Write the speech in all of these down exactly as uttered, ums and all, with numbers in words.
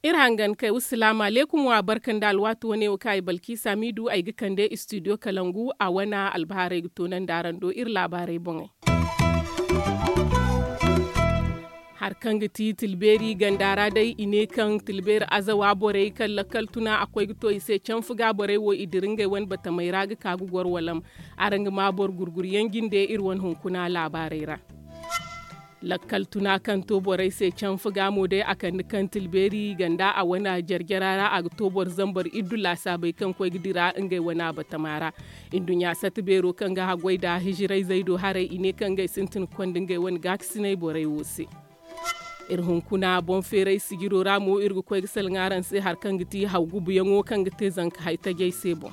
Iri hangan kay wa salaamu alaykum wa barka nda alwaati wane wo kaŋ ay balkiisa miidu ay ga kande istidiyo kalangu a wane albahaarey ga toonandi araŋ do iri laabaarey boŋey. Hari kaŋ ga ti tilbeeri ganda ra day i ne kaŋ tilbeeri azawa borey kaŋ lakkal tuna a koy ga to i se canfu ga borey wo i dira ngey wane batamey ra ga ka ga goro walam. Araŋ ga ma boro gurguryaŋ jinde iri wane hunkuna laabaarey ra. Lakkal tuna kaŋ to borey se canfu ga mo day a kande kaŋ tilbeeri ganda a wane jarjara ra a ga to boro zambar iddu laasaabey kaŋ koy ga dira ngey wane batama ra. Nduɲɲa satta beero kaŋ ga haggoy nda hijirayzey do haray i ne kaŋ ngey sintin ga konda ngey wane gaakasinay borey wo se. Iri hunkuna boŋ feeray sijiro ra mo iri ga koy ga salaŋ araŋ se hari kaŋ ga ti haw gubuyaŋo kaŋ ga te zanka hay tajey se boŋ.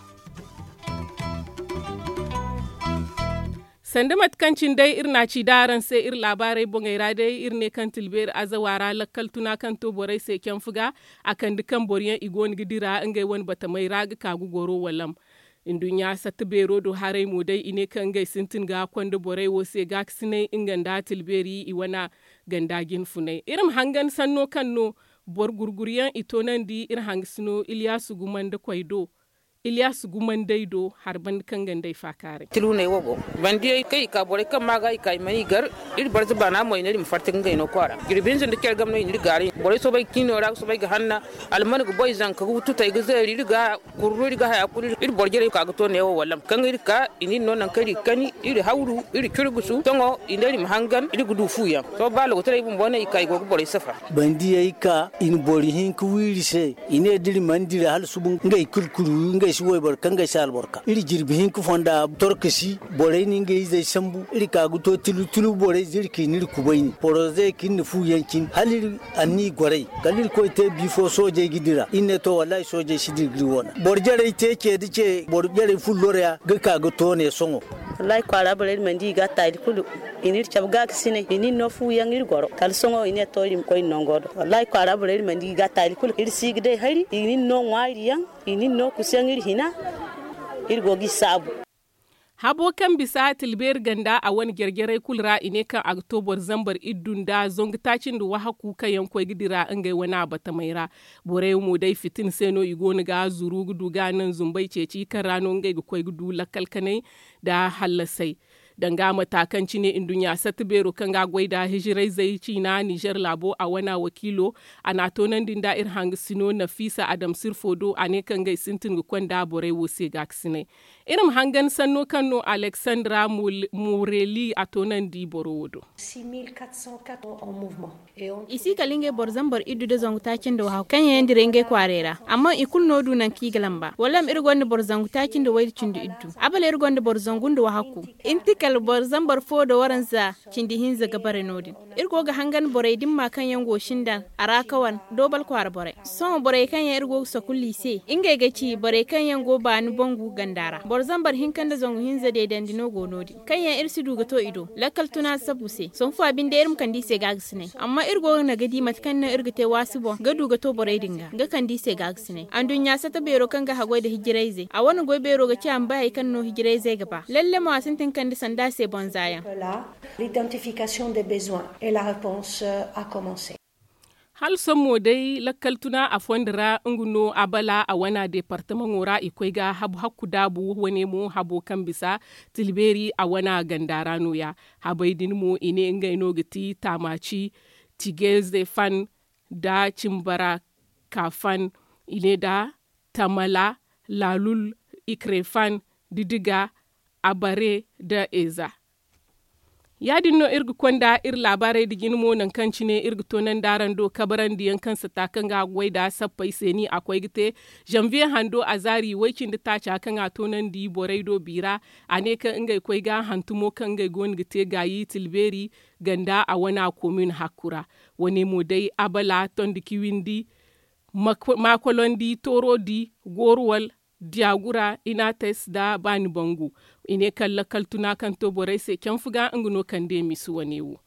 Sanda mate kaŋ cine day iri n'a ci da araŋ se iri laabaarey boŋey ra day iri ne kaŋ tilbeeri azawa ra lakkal tuna kaŋ to borey se canfu ga a kande kaŋ boroyaŋ i go no ga dira ngey wane batamey ra ga ka ga goro walam. Nduɲɲa satta beero do haray mo day i ne kaŋ ngey sintin ga konda borey wo se gaakasinay nga nda tilbeeri i wane ganda jinfunay iri ma hangan sanno kaŋ no boro gurguryaŋ i toonandi iri hangasino iliyaasu gumanda koy do. Iliyaasu gumandey do hari banda kaŋ ga nd'ey faakaaray. Tiluney wo go bandiyey kaŋ i ka borey kaŋ ma ga i ka i mana i gar. Iri barza baana mo i ne iri ma farti ga ngey no kwaara jirbi hinza nda care game no i n'iri gaaray borey soobay ga ciino ra ga soobay ga hanna. Alman ga boy zanka ga wututey ga zeeri iri ga kurru iri ga haya kulu iri boro jarey ka ga to neewo wallam kaŋ iri ka i n'iri no nangu kaŋ iri ga kani iri hawru iri curgusu sohõ i ne iri ma hangan iri ga du fuyaŋ. Sohõ ba logotaray bumbo no i ka i go ga borey safa. Bandiyey ka i na boro hinka wi iri se. I ne da iri mana dira hala suba ngey kulu kulu wi ngey si wayboro kaŋ ngey si albarka iri jirbi hinka fonda torkasi. Borey na ngey izey sambu iri ka ga to tilu tilu borey zirki n'iri kubayni porozey kaŋ iri na fu yaŋ cine hala iri anniya gorey kala iri koy te bi fo soojey ga dira iri ne to wallahi soojey si dira ga iri wane boro jarey te ce da ce boro jarey fullo ra ya ga ka ga to ne sohõ. Wallahi kwaara borey iri mana di i ga a taali kulu. I n'iri cabe gaakasinay i n'iri no fu yaŋ iri goro kala sohõ i ne to iri ma koy iri nango do wallahi kwaara borey iri mana di i ga a taali kulu iri si ga day hari i n'iri no ŋwaari yaŋ. I n'iri no kusu yaŋ iri hina. Iri go g'i saabu. Habo kaŋ bisa tilbeeri ganda a wane jarjarey kulu ra i ne kaŋ a ga to boro zambar iddu nda zangu taaci nda wahakku kaŋ yaŋ koy ga dira ngey wane abatamey ra. Borey mo day fitina se no i go no ga zuru ga du ga naŋ zumbey ceeci kaŋ ra no ngey ga koy ga du lakkal kanay nda hallasay. Danga mata kaŋ cine nduɲɲa satta beero kaŋ ga goy nda hijirayzey ciina nizer laabo a wana wakiilo. A n'a toonandi nda iri hangasino nafiisa adamsirfo do a ne kaŋ ngey sintin ga konda borey wo se gaakasinay. Iri ma hangan sanno kaŋ no aleksandra moreli a toonandi boro wo do. I si kala ngey boro zambar iddu nda zangu taaci nda wahakku kaŋ yaŋ yaŋ dira ngey kwaaray ra. Amma i kulu no du nangu kaŋ i ga lamba wala ma iri gonda boro zangu taaci nda wayda cindi iddu. Abala iri gonda boro zangu nda wahakku. Intikal boro zambar fo nda waranza cindi hinza ga bare no- din. Iri go ga hangan borey dimma kaŋ yaŋ go sinda a ra kawan doobal kwaara borey. Sohõ borey kaŋ yaŋ iri go ga sakulla i se ngey ga ci borey kaŋ yaŋ go baani bangu ganda ra boro zambar hinka nda zangu hinza deedandi no go no- din kaŋ yaŋ iri si du ga to i do lakkal tuna sabu se. Sohõ fa binde iri ma kande i se gaagasinay amma iri go ga naga di mate kaŋ no iri ga te waasi boŋ ga du ga to borey din ga ga kande i se gaagasinay anduɲɲa sata beero kaŋ ga haggoy nda hijirayzey a wane goy beero ga ci a ma bay hari kaŋ no hijirayzey ga ba lalle mo a sintin kande sanda se bonza yaŋ. Hala sohõ mo day lakkal tuna a fondo ra nga no a bala a wana deepartamaŋo ra i koy ga habu hakku daabu wane mo habo kaŋ bisa tilbeeri a wana ganda ra no- ya. Habey din mo i ne ngey no ga ti taamaaci, tigeze fan, nda cimbara kaafan, i ne nda tamala, laalul, ikrefan, didiga, abare, nda eza. Ya- din no iri ga konda iri laabaarey nda jine mo nangu kaŋ cine iri ga toonandi araŋ do kabarandiyaŋ kaŋ sata kaŋ ga a ga goy nda sappey se ni a koy ga te. Zanviye hando a zaari way- cindi taaca kaŋ a toonandi borey do bi ra. A ne kaŋ ngey koy ga hantumo kaŋ ngey go no ga te gaayi tilbeeri ganda a wana komin hakku ra. Wane mo day abala tondi kiwindi, maakolondi toorodi, goruwal, diyagura, inates nda baani bangu. I ne kaŋ lakkal tuna kaŋ to borey se canfu ga nga no kande misi wane wo.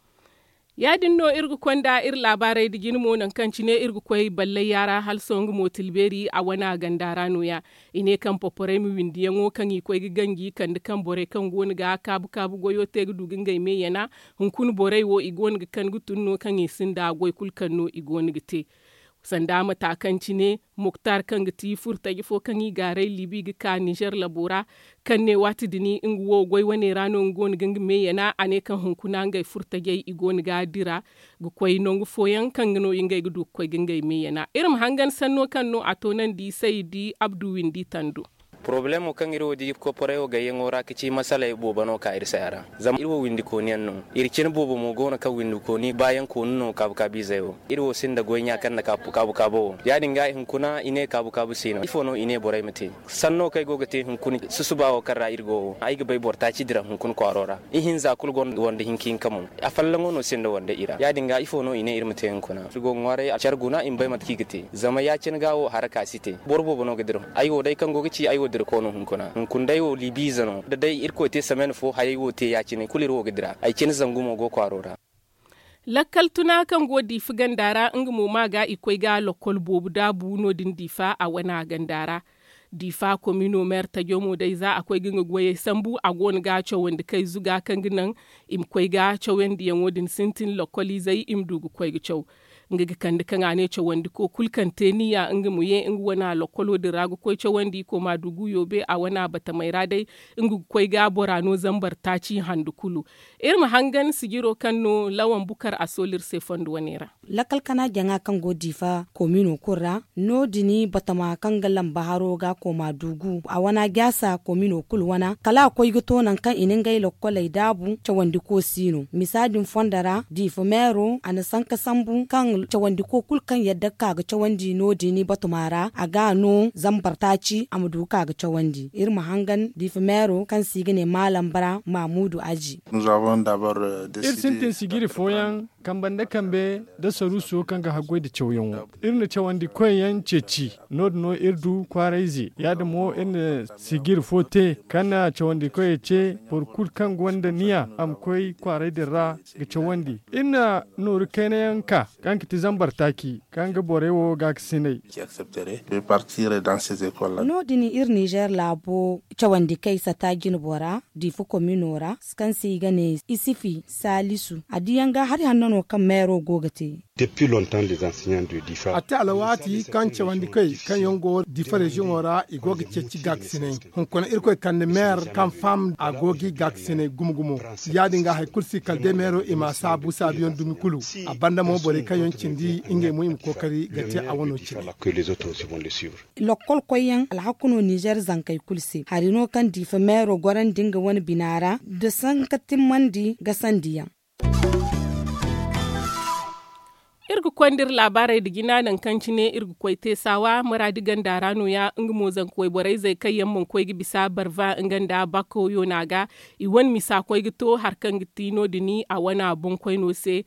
Ya- din no iri ga konda iri laabaarey nda jine mo nangu kaŋ cine iri ga koy ballay yaara hala sohõ nga mo tilbeeri a wane a ganda ra no- ya. I ne kaŋ poporey ma windiyaŋo kaŋ i koy ga ganji kande kaŋ borey kaŋ go no ga kaabu kaabu goyo te ga du ga ngey me yana. Hunkuna borey wo i go no ga kan ga tun no kaŋ i sinda goy kulu kaŋ no i go no ga te. Sanda mata kaŋ cine muktar kaŋ ga ti furtaje fo kaŋ i gaaray libi ga ka nizer labo ra, kaŋ ne waati din nga wo goy wane ra no nga go no ga nga me yana a ne kaŋ hunkuna ngey furtajey i go no ga dira ga koy nangu fooyaŋ kaŋ ga no ngey ga du ga koy ga ngey me yana. Iri ma hangan sanno kaŋ no a toonandi saydi abdu windi tando. Porobalemo kaŋ iri wo di koporey wo gayyaŋo ra ga ci masaley boobo no ka iri se a ra. Zama iri wo windikooni yaŋ no. Iri cine boobo mo go no kaŋ windikooni baayaŋ koonu no kaabu kaabu izey wo. Iri wo sinda goy ɲa kaŋ na kaabu kaabu wo ya- din ga hunkuna i ne kaabu kaabu si no ifo no i ne borey ma te? Sanno kaŋ ay go ga te hunkuna susuba wo kaŋ ra iri go wo ay ga bay boro taaci dira hunkuna kwaaro ra. Ihinza kulu gonda wande hinka hinka mo. Afallaŋo no sinda wande i ra ya- din ga ifo no i ne iri ma te hunkuna iri go ga ŋwaaray care guna i ma bay mate kaŋ i ga te zama ya- cine ga wo haraka si te. Boro boobo no ga dira ay wo day kaŋ go ga ci ay wo dira koono hunkuna hunkuna day wo libiize no da day irkoy te samen fo hayey wo te ya- cine kulu iri wo ga dira ay cine zangu mo go kwaaro ra. Lakkal tuna kaŋ go diifa ganda ra nga mo ma ga i koy ga lakkol boobo daabu no- din diifa a wana ganda ra. Diifa komino meer tajo mo day za a koy ga nga goyey sambu a go no ga cawandi kay zuga kaŋ ga naŋ i ma koy ga cawandiyaŋo din sintin lakkol izey i ma du ga koy ga caw. Nga ga kande kaŋ a ne cawandiko kulu kaŋ te niya nga ma ye nga wana lokkolo din ra ga koy cawandi koma du guyo be a wana batamey ra day. Nga ga koy ga bora no zambar taaci handu kulu. Iri ma hangan sijiro kaŋ no lawan bukar a sooli iri se fondo wane ra. Lakkal kana jaŋa kaŋ go diifa komino kulu ra no- din batama kaŋ ga lamba haro ga koma du gu a wana jaasa komino kulu wana kala a koy ga to nangu kaŋ i na ngey lokkoley daabu cawandiko si no misa din fondo ra diifa meero a na sanka sambu kaŋ cawandiko kulu kaŋ yadda ga ka ga cawandi no- din batama ra a ga no zambar taaci a ma du ga ka ga cawandi iri ma hangan diifa meero kaŋ se i ga ne maalam bara maamudu aji. Iri sintin sijiri fooyaŋ kambe nda kambe nda saruuso kaŋ ga haggoy nda cawyaŋo. Iri na cawandi koyyaŋ ceeci no- din no iri du kwaarayze ya- din mo iri na sijiri fo te kaŋ na cawandi koyey ce boro kulu kaŋ gonda niya a ma koy kwaaray din ra ga cawandi. Iri na nooru kayna yaŋ ka kaŋ ga ti zambar taaci kaŋ ga borey wo gaakasinay. No- din iri nizer laabo cawandi kay sata jinbo ra diifa komino ra kaŋ se i ga ne isifi saalisu a diyaŋ ga hari hanno no kaŋ meero go ga te. A te alwaati kaŋ cawandi kay kaŋ yaŋ go diifa reziyoŋo ra i go ga ceeci gaakasinay. Hunkuna irkoy kande meer kaŋ faham a go ga i gaakasinay gumo gumo. Ya- din ga hari kulu si kala day meero i ma saabu saabuyaŋ dumi kulu. A banda mo borey kaŋ yaŋ cindi ngey mo i ma kookari ga te a wano cine. Lokkol koyyaŋ alhaku no nizer zankey kulu se hari no kaŋ diifa meero gorandi nga wane bina ra nda sanka timmandi gasandiyaŋ. Iri ga konda iri laabaarey nda jina nangu kaŋ cine iri ga koy teesawa muraadi ganda ra no- ya nga mo zanka wayborey zey kaŋ yaŋ mana koy ga bisa barva nga nda bakko yoona ga. I wane misa koy ga to hari kaŋ ga ti no- din a wana boŋkoyno se.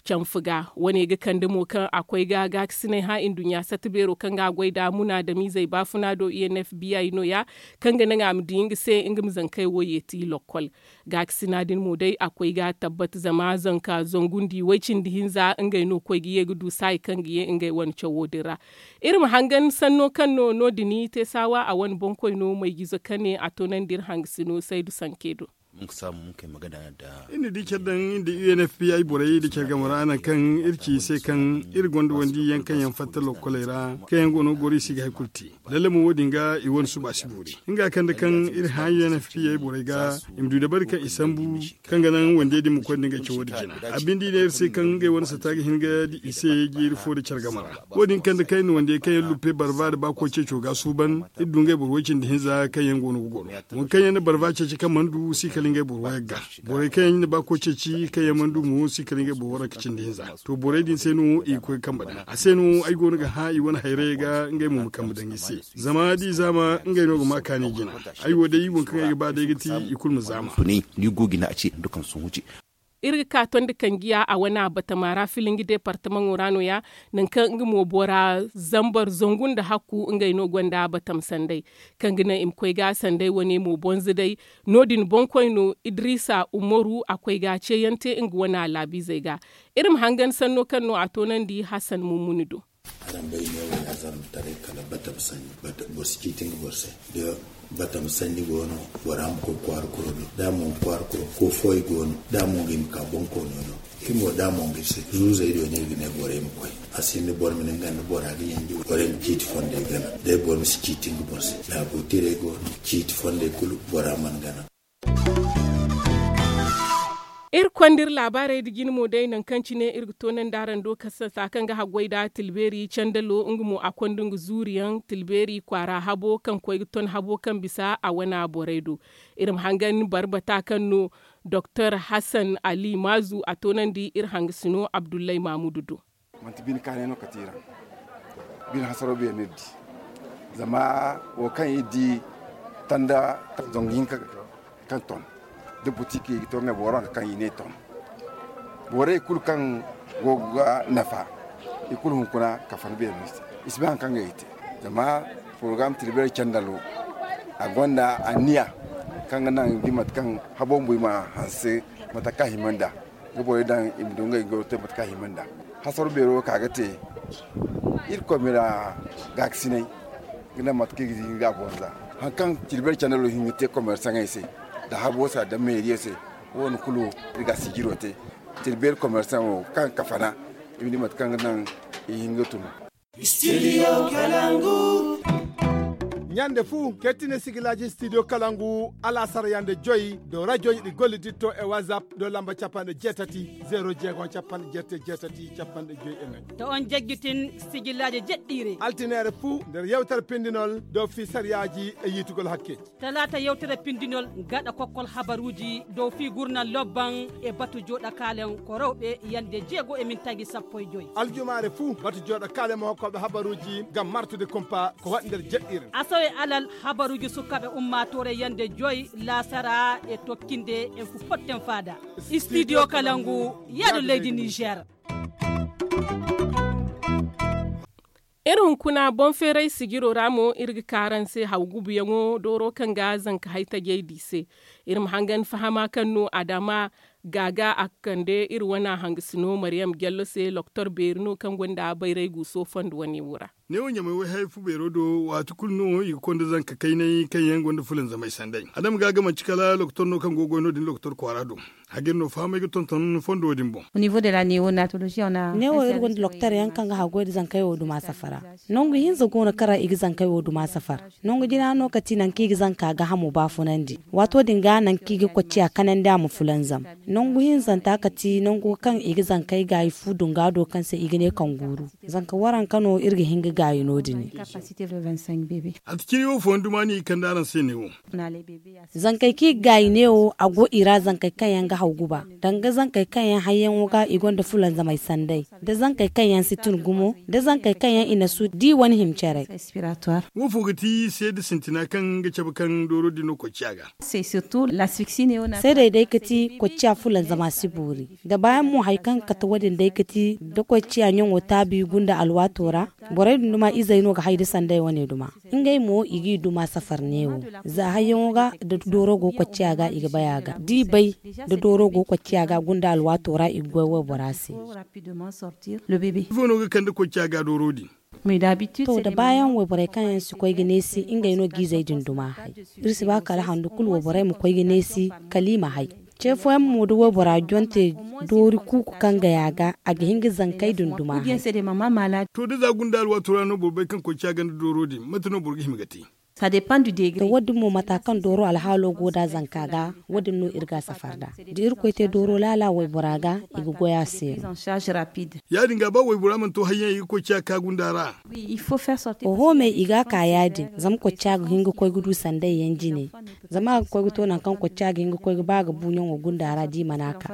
Canfa ga wane ga kande mo kaŋ a koy ga gaakasinay hã nduɲɲa sata beero kaŋ ga a goy nd'a munaadamiizey baafuna do i n f b i no- ya kaŋ ga naŋ a ma di nga se nga ma zankey wo yeeti lokkol. Gaakasina din mo day a koy ga tabbat zama zanka zangu nda i way cindi hinza ngey no koy ga ye ga du saayi kaŋ ga ye ngey wane cawo din ra. Iri ma hangan sanno kaŋ no no- din teesawa a wane boŋkoyno mayjizo kaŋ ne a toonandi iri hangasino saydu sanke do. Iri na di care daŋ nda u n f b i borey nda care game ra nangu kaŋ iri ci i se kaŋ iri gonda wandi yaŋ kaŋ yaŋ fatta lokkoley ra kaŋ yaŋ go no ga goro i si ga hari kulu te. Lalle mo wo- din ga i wane suba si boori nga kaŋ da kaŋ iri hã u n f b i borey ga i ma du dabari kaŋ i sambu kaŋ ga naŋ wandey din ma koy nda ngey cawo din jina. A binde i ne iri se kaŋ ngey wane sata ga hin ga di i se jeeri fo nda care game ra. Wo- din kaŋ da kaŋ iri na wandey kaŋ yaŋ luppe barva nda baako ceeco ga suuban iri du ngey boro way-cindi hinza kaŋ yaŋ go no ga goro. Waŋ kaŋ yaŋ na barva ceeci kaŋ mana du si kala ngey boro wayagga. Borey kaŋ yaŋ na baako ceeci kaŋ yaŋ mana du mo si kala ngey boro waranka cindi hinza. To borey din se no i ga koy ga kambe daŋ a se no ay go no ga hã i wane hayrayey ga ngey mo ma kambe daŋ i se. Zama da i zaama ngey no ga ma kaani jina. Ay wo day waŋ kaŋ ay ga ba day ga ti i kulu ma zaama. Ni go ga ne a ce nda kaŋ sohõ ce. Iri ga ka tondi kanjiya a wane a batama ra filingi departamaŋo ra no- ya, nangu kaŋ nga mo bora zambar zangu nda hakku ngey no gonda batam sanday, kaŋ ga naŋ i ma koy ga sanday wane mo bonza day. No- din boŋkoy no, idrisa umaru a koy ga ceeyaŋ te nga wane a laabiizey ga. Iri ma hangan sanno kaŋ no a toonandi hasan mummuni do. Araŋ bay ne wo ya zarma taray kala batam sanni. Boro si ciiti nga boro se. Da batam sanni go no, bora ma koy kwaara kuro do. Da a mo nga kwaara kuro, ko fooyaŋ go no, da a mo nga i ma ka boŋ koono do. Iri mo da a mo nga iri se zuuzey do no iri ga ne borey ma koy. A sinda boro ma ne nga nda bora ga yanji, borey ma ciiti fondey gana. Day boro ma si ciiti nga boro se. Laabo tirey go no, ciiti fondey kulu bora mana gana. Iri konda iri laabaarey nda jine mo day nangu kaŋ cine iri ga toonandi araŋ do kasasa kaŋ ga haggoy nda tilbeeri candalo nga mo a konda nga zuuriyaŋ tilbeeri kwaara habo kaŋ koy ga ton habo kaŋ bisa a wana borey do. Iri ma hangan barbata kaŋ no doktor hasan ali maazu a toonandi iri hangasino abdullahi maamudu do. Manti bine kaanay no kate iri ra. Bine hasaro beeri no iri di. Zama wo kaŋ iri di tanda zangu hinka kaŋ ton da buti kaŋ i ga to ngey boro hanka kaŋ i ne ton. Borey kulu kaŋ go ga nafa i kulu hunkuna kafan beeri no i se. I si bay hari kaŋ ga i te. Zama porogaram tilbeeri candalo a gonda anniya kaŋ ga naŋ i ma di mate kaŋ habo bumbo i ma hanse mate kaŋ a hima nd'a. Ga borey daŋ i ma du ngey ga te mate kaŋ a hima nd'a. Hasaro beero ka ga te irkoy ma iri a gaakasinay ga naŋ mate kaŋ i ga di nga bonza. Hari kaŋ tilbeeri candalo hin ga te komersaŋey se nda habo se nda meeriyo se. Wo- din kulu iri ga a sijiro te tilbeeri komersaŋo kaŋ ga kafana i ma di mate kaŋ ga naŋ i hin ga tun. Studio kalangu. Ɲande fu ketine sigilaaji studio kalangu. Alaasara yande joy do rajoy di golli ditto e whatsapp do lamba cappanɗe jeetati zero jeego cappanɗe jeetati jeetati cappanɗe joy e ŋay. To on jejjutin sigilaaji jeɗɗiire altineere fu nder yewtere pindinol do fi sariyaaji e yiitugol hakkeeji. Talaata yewtere pindinol gaɗa kokkol habaruuji dow fii gurnan lobban e batu jooɗa kaalen ko rewɓe yande jeego e mintaaji sappo e joy. Aljumaare fuu batu jooɗa kaalen mo hokkooɓe habaruuji ngam martude kumpa ko waɗi nder jeɗɗiire. Asawe alal habaruuji sukaaɓe ummaatoore yande joy laasara e tokkinde en fu potten faada. Studio kalangu yaado leydi niger. Iri hunkuna boŋ feeray sijiro ra mo iri ga ka araŋ se haw gubuyaŋo dooro kaŋ ga zanka hay tajey di se. Iri ma hangan fahama kaŋ no adama gaaga a ga kande iri wana hangasino mariyam jallo se loktor beeri no kaŋ gonda bayray guuso fondo wane wo ra. Neewo ɲamay wayhay fu beero do waati kulu no i ga konda zanka kaynay kaŋ yaŋ gonda fulanzamay sanday adama gaaga manci kala loktor no kaŋ go ga goy no- din loktor kwaara do. Hagir no fahamay ga tonton fondo din boŋ. Neewo iri gonda loktor yaŋ kaŋ ga haggoy nda zankey wo duma safara. Nangu hinza go no kaŋ ra i ga zankey wo duma safara. Nangu jina no ka ti nangu kaŋ i ga zanka ga hamo baafunandi waato din ga nangu kaŋ i ga kocciya kanandi a ma fulanzam. Nangu hinzanta ka ti nangu kaŋ i ga zankey gaayi fu dunga do kaŋ se i ga ne kaŋ guuru. Zanka waranka no iri ga hin ga gaayi no- din. A ti ciri wo fooyaŋ duma no i kande araŋ se neewo. Zankey kaŋ i ga gaayi neewo a go i ra zankey kaŋ yaŋ ga haw guba danga zankey kaŋ yaŋ hayyaŋo ga i gonda fulanzamay sanday, da zankey kaŋ yaŋ si tun gumo, da zankey kaŋ yaŋ i na su di wane hima care. Wo fo ga ti seeda sintina kaŋ ga cabe kaŋ dooro din no kocciya ga. Seedey day ga ti kocciya fulanzama si boori. Da baayaŋ mo hari kaŋ ga kate wo- din day ga ti da kocciya ɲaŋo taabi gunda alwaato ra. Borey din duma izey no ga hay da sanday wane duma. Ngey mo i g'i duma safar neewo. Za hayyaŋo ga da dooro go kocciya ga i ga bay a ga da i bay da dooro go kocciya ga gunda alwaato ra i ga goy waybora se. Ifo no ga kande kocciya ga dooro din? To da baayaŋ wayborey kaŋ yaŋ si koy ga neesi ngey no g'izey din duma hay. Iri si ba kala handu kulu wayborey ma koy ga neesi kala i ma hay. Ce fooyaŋ mo da waybora jonte doori kuuku kaŋ gay a ga a ga hin ga zankey din duma hay. To da za gunda alwaato ra no boro bay kaŋ koy ca ganda dooro din mate no boro ga hima ga te? To wo- din mo mata kaŋ dooro alhaalo go nd'a zanka ga, wo- din no iri ga a safar nd'a. Da irkoy te dooro laala waybora ga, i ga goy a se no. Ya- din ga ba waybora mana to hari yaŋ i ga koy ciya ka gunda ra. Oho me i ga a ka ya- din zama koy ciya ga hin ga koy ga du sanday yaŋ jine. Zama a ga koy ga to nangu kaŋ koy ciya ga hin ga koy ga ba ga bu ɲaŋo gunda ra da i mana a ka.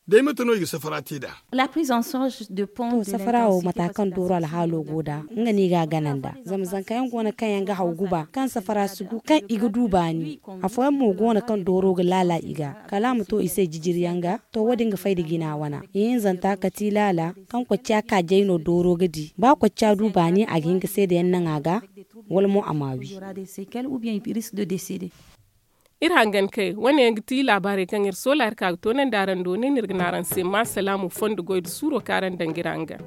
Day mate no i ga safara te nd'a? To safara wo mata kaŋ dooro alhaalo go nd'a, nga no i ga a gana nd'a zama zanka yaŋ go no kaŋ yaŋ Nga haw guba kaŋ safara si gu kaŋ i ga du baani. Afooyaŋ mo go no kaŋ dooro ga laala i ga kala a ma to i se jijiriyaŋ ga. To wo- din ga fay da jina wana ihinzanta kati laala kaŋ kocciya ka jay no dooro ga di ba kocciya du baani a ga hin ga seedayaŋ naŋ a ga. Wala mo a ma wi. Iri hangan kay wane yaŋ ga ti laabaarey kaŋ iri soola iri ka ga toonandi araŋ do ne no iri ga ne araŋ se ma salaamu fondo goy nda suuro kaŋ araŋ daŋ ga iri hangan.